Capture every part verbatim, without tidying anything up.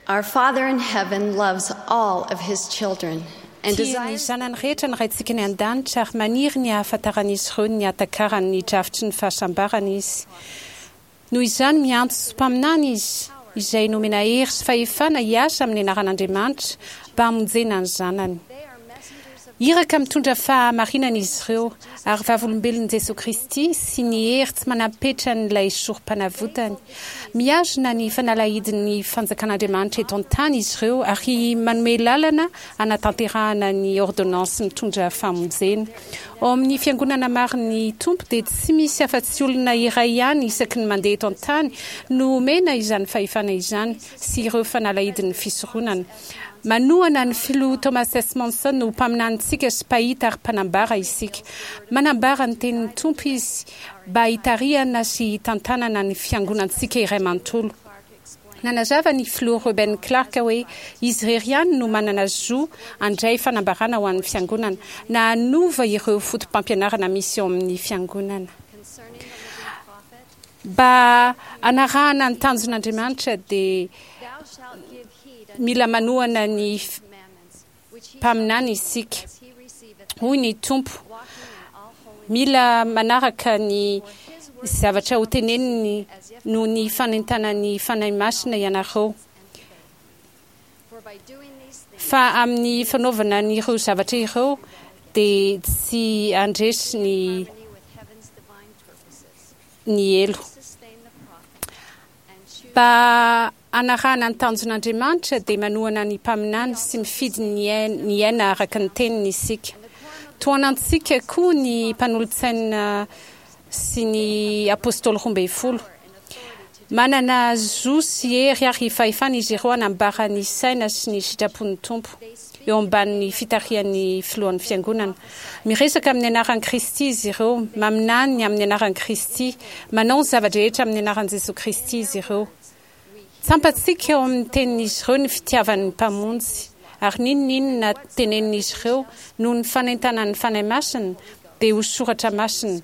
Our Father in heaven loves all of his children and Tia ny desires zanany rehetra ny Raintsika any an-danitra ary maniry ny hahafantaran'izy ireo ny hahatakarany ny drafitry ny fahasambarana izy. Noho izany, miantso mpaminany izy, izay nomena hery sy fahefana hiasa amin'ny anaran'Andriamanitra mba hamonjena ny zanany. Iraka mitondra fahamarinana izy ireo ary vavolombelon'i Jesoa Kristy sy ny hery tsy manam-petran'ilay sorom-panavotany. Mihazona ny fanalahidin'ny fanjakan'Andriamanitra eto an-tany izy ireo ary manome lalana hanatanterahana ny ôrdônansy mitondra famonjena. Ao amin'ny Fiangonana marin'ny Tompo dia tsy misy afa-tsy olona iray ihany isaky ny mandeha eto an-tany no omena izany fahefana izany sy ireo fanalahidin'ny fisoronana. Manohana ny Filoha Thomas S. Monson ho mpaminanintsika sy mpahita ary mpanambara isika. Manambara ny tenin'ny Tompo izy mba hitarihana sy hitantanana ny fiangonantsika iray manontolo. Nanazava ny Filoha Reuben Clark hoe izy irery ihany no manana zo handray fanambarana ho an'ny fiangonana, na hanova ireo fotopampianarana misy ao amin'ny fiangonana. Mba hanarahana ny tanjon'Andriamanitra dia mila manohana ny mpaminany isika. Hoy ny Tompo, mila manaraka ny zavatra hoteneniny noho ny fanentanan'ny Fanahy Masina ianareo. Fa amin'ny fanaovana an'ireo zavatra ireo dia tsy handresy ny ny helo. Mba hanarahana ny tanjon'Andriamanitra dia manohana ny mpaminany sy mifidy ny hiaina araka ny teniny isika. Tohanantsika koa ny mpanolotsaina sy ny apostoly roa ambin'ny folo. Manana zo sy hery ary fahefana izy ireo hanambara ny saina sy ny sitrapon'ny Tompo, eo ambanin'ny fitarihan'ny filohan'ny Fiangonana. Miresaka amin'ny anaran'i Kristy izy ireo, maminany amin'ny anaran'i Kristy, manao ny zava-drehetra amin'ny anaran'i Jesoa Kristy izy ireo. Tsapantsika ao amin'ny tenin'izy ireo ny fitiavan'ny Mpamonjy, ary n'inon'inona tenenin'izy ireo noho ny fanentanan'ny Fanahy Masina dia ho soratra masina,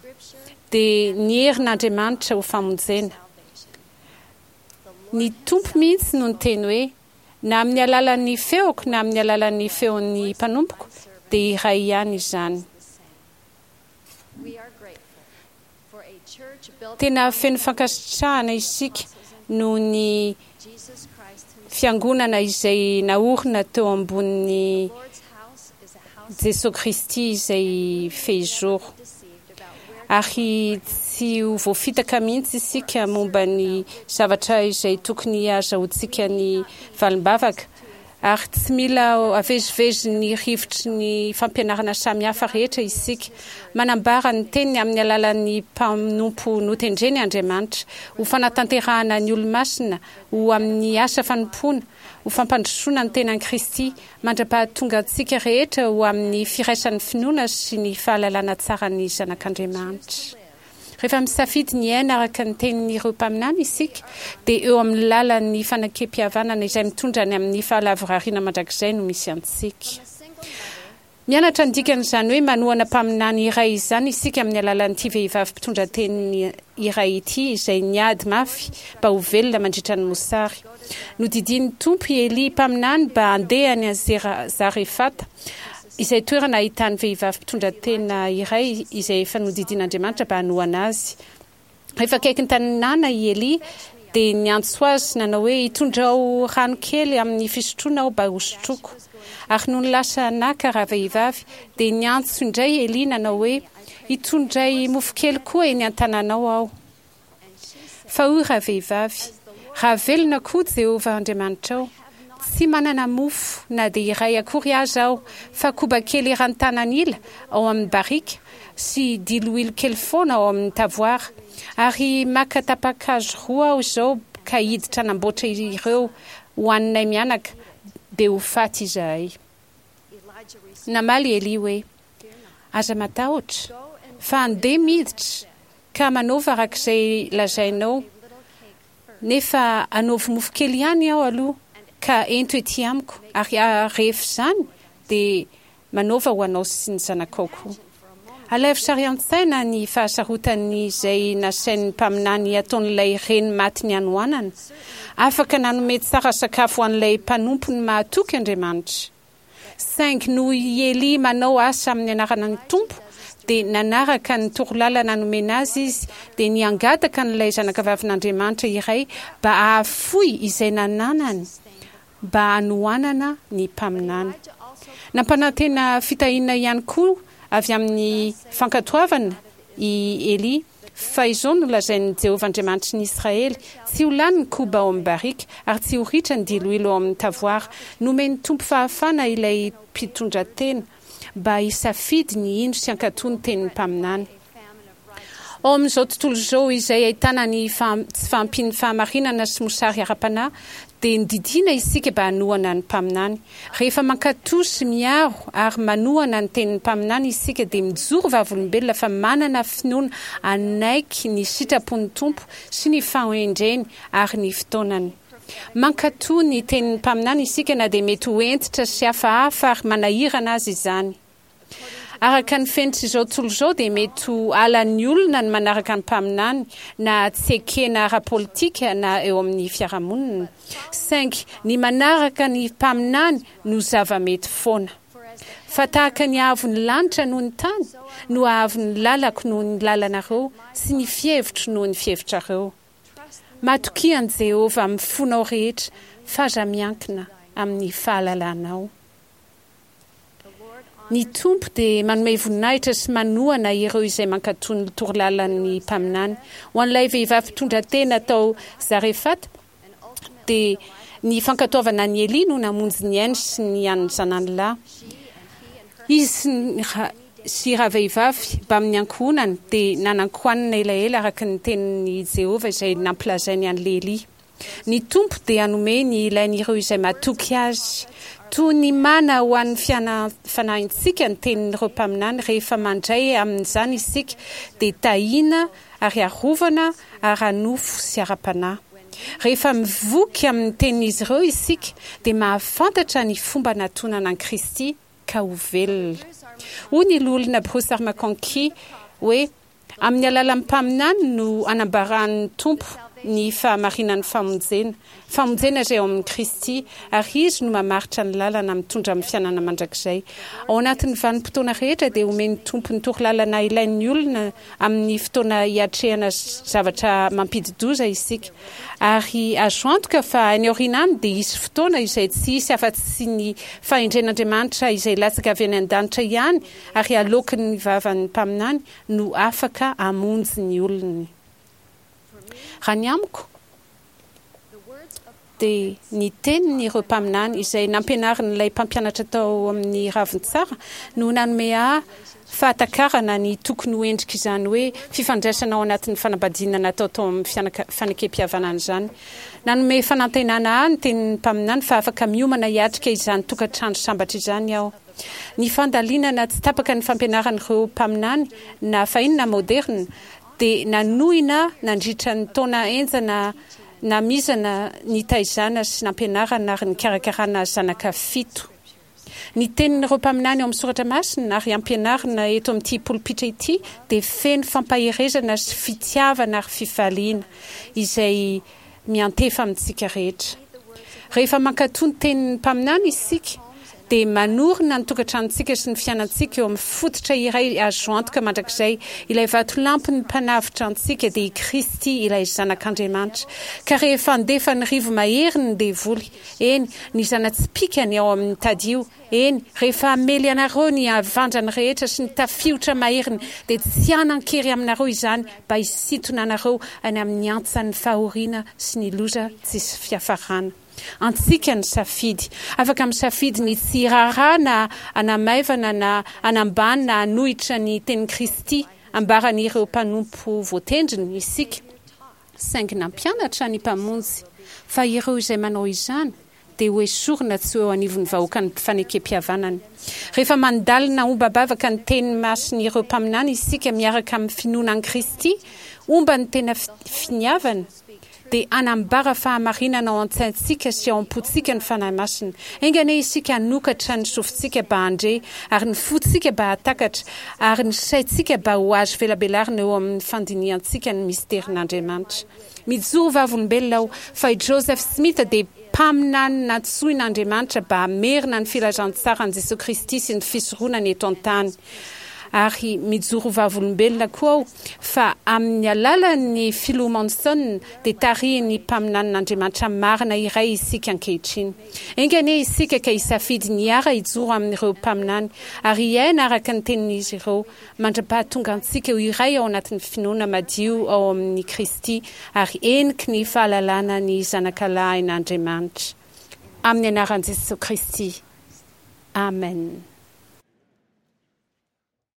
dia ny herin'Andriamanitra ho famonjena. Ny Tompo mihitsy no niteny hoe, Na amin'ny alalan'ny feoko na amin'ny alalan'ny feon'ny mpanompoko, dia iray ihany izany. Tena feno fankasitrahana isika noho ny Fiangonana izay naorina teo ambonin'i Jesoa Kristy izay fehizoro. Ary tsy ho voafitaka mihitsy isika momba ny zavatra izay tokony hahazahoantsika ny valim-bavaka, ary tsy mila avezivezin'ny rivotry ny fampianarana samihafa rehetra isika. Manambara ny Teniny amin'ny alalan'ny mpanompo notendreny Andriamanitra, ho fanatanterahana ny olo-masina ho amin'ny asa fanompoana, ho fampandrosoana ny tenan'i Kristy, mandra-pahatonga antsika rehetra ho amin'ny firaisan'ny finoana sy ny fahalalana tsara ny Zanak'Andriamanitra. Rehefa misafidy ny hiaina araka ny tenin'ireo mpaminany isika, dia eo amin'ny lalan'ny fanekempihavanana izay mitondra any amin'ny fahalavorariana mandrakizay no misy antsika. Mianatra ny dikan'izany hoe manohana mpaminany iray izany isika amin'ny alalan'ity vehivavy mpitondra teny iray ity izay niady mafy mba ho velona mandritra ny mosary. Nodidian'ny Tompo i Elia mpaminany mba handeha any Zarefata, izay toerana ahitany vehivavy mpitondra tena iray izay efa nodidian'Andriamanitra mba hanohana azy. Rehefa akaiky ny tanàna i Elia, dia niantso azy nanao hoe, Itondrao rano kely amin'ny fisotroana aho mba hosotroiko. Ary nony lasa naka ravehivavy, dia niantso indray Elia nanao hoe, Itondray mofo kely koa eny an-tananao aho. Fa hoy ravehivavy, Raha velona koa Jehovah Andriamanitrao, tsy manana mofo na dia iray akory aza aho, fa koba kely eran'ny tanan'ila ao amin'ny barika, sy diloilo kely foana ao amin'ny tavoara. Ary maka tapa-kazo roa aho izao ka hiditra hanamboatra ireo hohaninay mianaka, dia ho faty izahay. Namaly Elia hoe, Aza matahotra, fa andeha miditra ka manaova araka izay lazainao, nefa anaovy mofo kely ihany aho aloha ka ento ety amiko, ary rehefa izany dia manaova ho anao sy ny zanakao koa. Alaivo sary an-tsaina ny fahasarotan'ny izay nasain'ny mpaminany ataon'ilay reny maty ny hanoanana. Afaka nanome tsara sakafo ho an'ilay mpanompony mahatoky Andriamanitra. Saingy noho i Elia manao asa amin'ny anaran'ny Tompo, dia nanaraka ny torolalana nomena azy izy, dia niangataka an'ilay zanakavavin'Andriamanitra iray mba hahafoy izay nananany mba hanohanana ny mpaminany. Nampanantena fitahiana ihany koa avy amin'ny fankatoavana i Elia, fa izao no lazain'i Jehovah Andriamanitry ny Israely, Tsy ho lany ny koba ao amin'ny barika, ary tsy ho ritra ny diloilo ao amin'ny tavoara. Nomen'ny Tompo fahafahana ilay mpitondratena mba hisafidy ny hino sy hankatò ny tenin'ny mpaminany. Ao amin'izao tontolo izao izay ahitana ny tsy fahampian'ny fahamarinana sy mosary ara-panahy, dia nodidiana isika mba hanohana ny mpaminany. Rehefa mankatò sy miaro ary manohana ny tenin'ny mpaminany isika, dia mijoro vavolombelona fa manana finoana hanaiky ny sitrapon'ny Tompo sy ny fahendreny ary ny fotoanany. Mankatò ny tenin'ny mpaminany isika na dia mety ho hentitra sy hafahafa ary manahirana aza izany. Araka ny fenitr'izao tontolo izao dia mety ho halan'ny olona ny manaraka ny mpaminany na tsy ekena ara-politika na eo amin'ny fiarahamonina. Saingy ny manaraka ny mpaminany no zava-mety foana. Fa tahaka ny haavon'ny lanitra noho ny tany no haavon'ny lalako noho ny lalanareo sy ny fihevitro noho ny fihevitrareo. Matokia an'i Jehovah amin'ny fonao rehetra fa aza miankina amin'ny fahalalanao. Ny Tompo dia manome voninahitra sy manohana ireo izay mankatò ny torolalan'ny mpaminany. Ho an'ilay vehivavy mpitondra tena tao Zarefata, dia ny fankatoavana an'i Elia no namonjy ny ainy sy ny an'ny zanany lahy. Izy sy ny sy ravehivavy mbamin'ny ankohonany dia nanan-kohanina elaela araka ny tenin'i Jehovah izay nampilazainy an'i Elia. Ny Tompo dia hanome ny ilain'ireo izay matoky Azy. Toy ny mana ho an'ny fanahintsika ny tenin'ireo mpaminany, rehefa mandray amin'izany isika dia tahiana ary arovana ara-nofo sy ara-panahy. Rehefa mivoky amin'ny tenin'izy ireo isika dia mahafantatra ny fomba natonana an'i Kristy ka ho velona. Hoy ny Loholona Bruce R. McConkie hoe, Amin'ny alalan'ny mpaminany no anambaran'ny Tompo ny fahamarinan'ny famonjena, famonjena izay ao amin'i Kristy, ary Izy no mamaritra ny lalana mitondra amin'ny fiainana mandrakizay. Ao anatin'ny vanim-potoana rehetra dia omen'ny Tompo ny torolalana ilain'ny olona amin'ny fotoana hiatrehana zavatra mampidi-doza isika. Ary azo antoka fa any aoriana any dia hisy fotoana izay tsy hisy afa-tsy ny fahendren'Andriamanitra izay latsaka avy any an-danitra ihany ary aloaky ny vavan'ny mpaminany no afaka hamonjy ny olony. Raha ny amiko, dia ny tenin'ireo mpaminany izay nampianarin'ilay mpampianatra tao amin'ny Ravintsara no nanome ahy fahatakarana ny tokony ho endrik'izany hoe fifandraisana ao anatin'ny fanambadiana natao tao amin'ny fanekempihavanana izany. Nanome fanantenana ahy ny tenin'ny mpaminany fa afaka miomana hiatrika izany tokantrano sambatra izany aho. Ny fandalinana tsy tapaka ny fampianaran'ireo mpaminany, na fahiny na maoderina, dia nanohina nandritra ny taona henjana namizana nitaizana sy nampianarana ary nikarakarana zanaka fito. Ny tenin'ireo mpaminany ao amin'ny Soratra Masina ary ampianarina eto amin'ity polipitra ity dia feno fampaherezana sy fitiavana ary fifaliana izay miantefa amintsika rehetra. Rehefa mankatò ny tenin'ny mpaminany isika, dia manorina ny tokantranontsika sy ny fiainantsika eo amin'ny fototra iray azo antoka mandrakizay, ilay vatolampin'ny Mpanavotra antsika, dia i Kristy, ilay Zanak'Andriamanitra. Ka rehefa handefa ny rivo-maheriny ny devoly, eny, ny zana-tsipìkany ao amin'ny tadio, Eny, rehefa hamely anareo ny havandrany rehetra sy ny tafiotra maheriny, dia tsy hanan-kery aminareo izany mba hisintona anareo any amin'ny hantsan'ny fahoriana sy ny loza tsisy fiafarana. Antsika ny safidy. Afaka misafidy ny tsy hiraharaha na hanamaivana na hanambany na hanohitra ny tenin'i Kristy ambaran'ireo mpanompo voatendriny isika. Saingy nampianatra ny Mpamonjy fa ireo izay manao izany dia hoesorina tsy ho eo anivon'ny vahoakan'ny fanekempihavanany. Rehefa mandalina ombam-bavaka ny teny masin'ireo mpaminany isika miaraka amin'ny finoana an'i Kristy, omban'ny tena finiavana, dia hanambara fahamarinana ao an-tsaintsika sy ao am-pontsika ny Fanahy Masina. Enga anie isika hanokatra ny sofintsika mba handre, ary ny fontsika mba hahatakatra, ary ny saintsika mba ho azo velabelarina eo amin'ny fandinihantsika ny misterin'Andriamanitra. Mijoro vavolombelona aho fa i Joseph Smith dia mpaminany nantsoin'Andriamanitra mba hamerina ny filazantsaran'i Jesoa Kristy sy ny fisoronany eto an-tany. Ary mijoro vavolombelona koa aho fa amin'ny alalan'ny Filoha Monson dia tarihin'ny mpaminanin'Andriamanitra marina iray isika ankehitriny. Enga anie isika ka hisafidy ny hiara-hijoro amin'ireo mpaminany ary hiaina araka ny tenin'izy ireo mandra-pahatonga antsika ho iray ao anatin'ny finoana madio ao amin'i Kristy ary heniky ny fahalalana ny Zanakalahin'Andriamanitra. Amin'ny anaran'i Jesoa Kristy. Amen.